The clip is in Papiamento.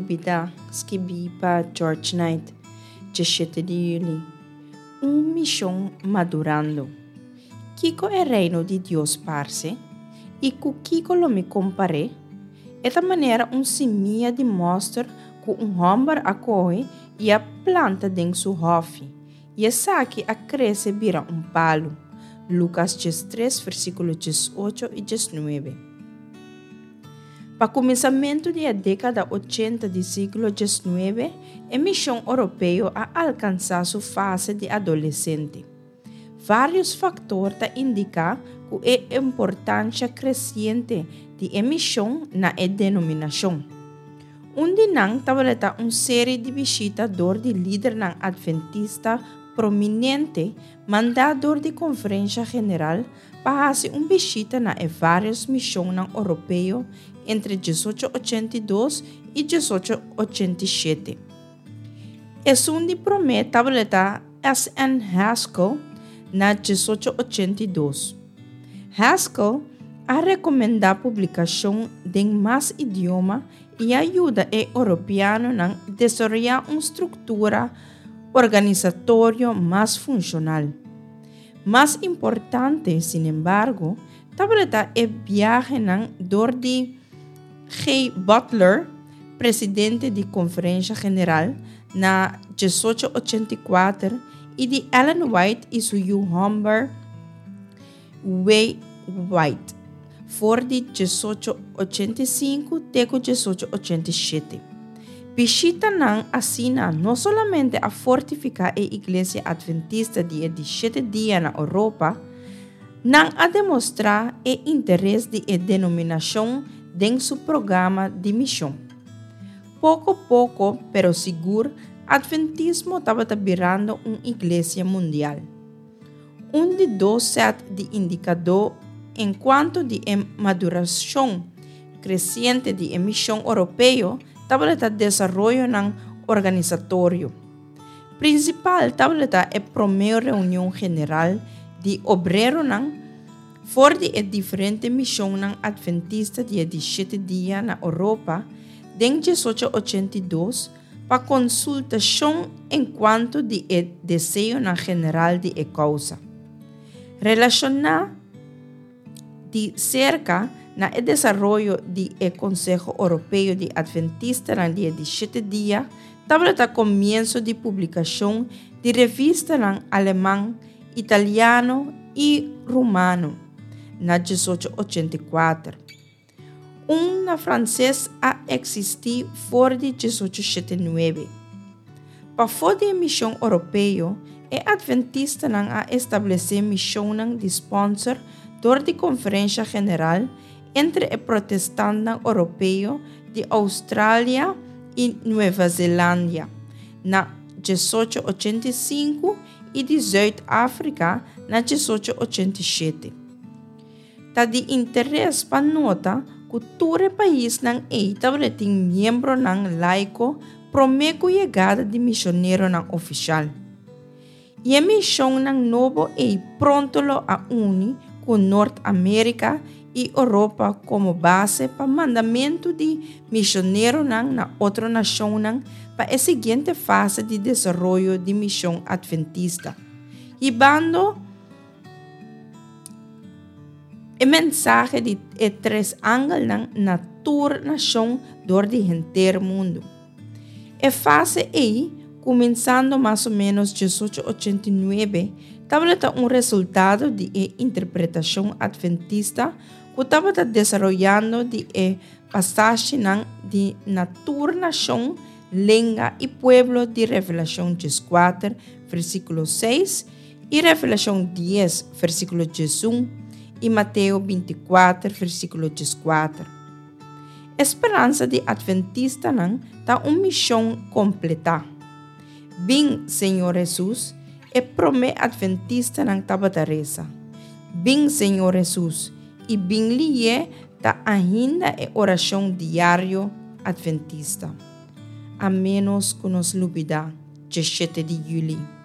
Lubidá, skibí pa George Knight, 17 di yüli. Un mishon madurando. Kiko e Reino di Dios parse, i ku kiko lo mi kompar'é? E ta manera un simia di mòster ku un hòmber a kohe i a planta den su hòfi, i esaki a krese bira un palu. Lukas 13, versíkulo 18 i 19. Pa kuminsamentu di e dékada ochenta di siglo 19, e mishon oropeo a alkansá su fase di adolesente. Vários faktor ta indiká ku e importansha kresiente di e mishon na e denominashon. Un di nan tabata un seri di bishita dor di lidernan adventista prominente mandá dor di Konferensha General pa hasi un bishita na e vários mishonnan oropeo entre 1882 i 1887. Esun di promé tabata SN. Haskell na 1882. Haskell a rekomendá publikashon den mas idioma i a yuda e oropeanonan desaroyá un struktura organisatorio mas funshonal. Mas importante, sinembargo, tabata e biahenan dor di G. Butler, presidente di Konferensha General, na 1884 i di Ellen White i su yu hòmber W. White for di 1885 te ku 1887. Bishitanan asina no solamente a fortifiká e Iglesia Adventista di e di Shete Dia na Oropa, nan a demostrá e interes di e denominashon den su programa di mishon. Poko poko, pero sigur, Adventismo tabata birando un iglesia mundial. Un di dos sèt di indikadó enkuanto di e madurashon kresiente di e mishon oropeo tabata desaroyonan organisatorio. Prinsipal tabata e promé reunion general di obreronan for di e diferente mishonnan adventista di e di shete dia na Oropa den 1882 pa konsultashon enkuanto di e deseonan general di e kousa. Relashoná di serka na e desaroyo di e Konseho Oropeo di Adventistanan di e di Shete Dia tabata komienso di publikashon di revistanan aleman, italiano i rumano na 1884. Un na franses a eksistí for di 1879. Pafó di e mishon oropeo, e adventistanan a establesé mishonnan di spònser dor di Konferensha General entre e protestantnan oropeo di Oustralia i Nueva Zelandia na 1885 i di Zuid Afrika na 1887. Ta di interes pa nota ku tur e paisnan ei tabatin miembronan laiko promé ku yegada di misioneronan ofishal. I e mishonnan nobo ei pronto lo a uni ku Nort Amérika i Oropa komo base pa mandamentu di misioneronan na otro nashonnan pa e siguiente fase di desaroyo di mishon atventista, hibando E mensahe di e tres angelnan na tur nashon dor di henter mundu. E fase ei, kuminsando mas o ménos 1889, tabata un resultado di e interpretashon adventista ku tabata desaroyando di e pasashinan di na tur nashon, lenga i pueblo di Revelashon 14, versíkulo 6, I Revelashon 10, versíkulo 11 i Mateo 24, versíkulo 14. E speransa di atventistanan ta un mishon kompletá. Bin, Señor Hesus, e promé atventistanan tabata resa. Bin, Señor Hesus, i bin lihé ta ainda e orashon diario atventista. A ménos ku nos lubidá 17 di yüli.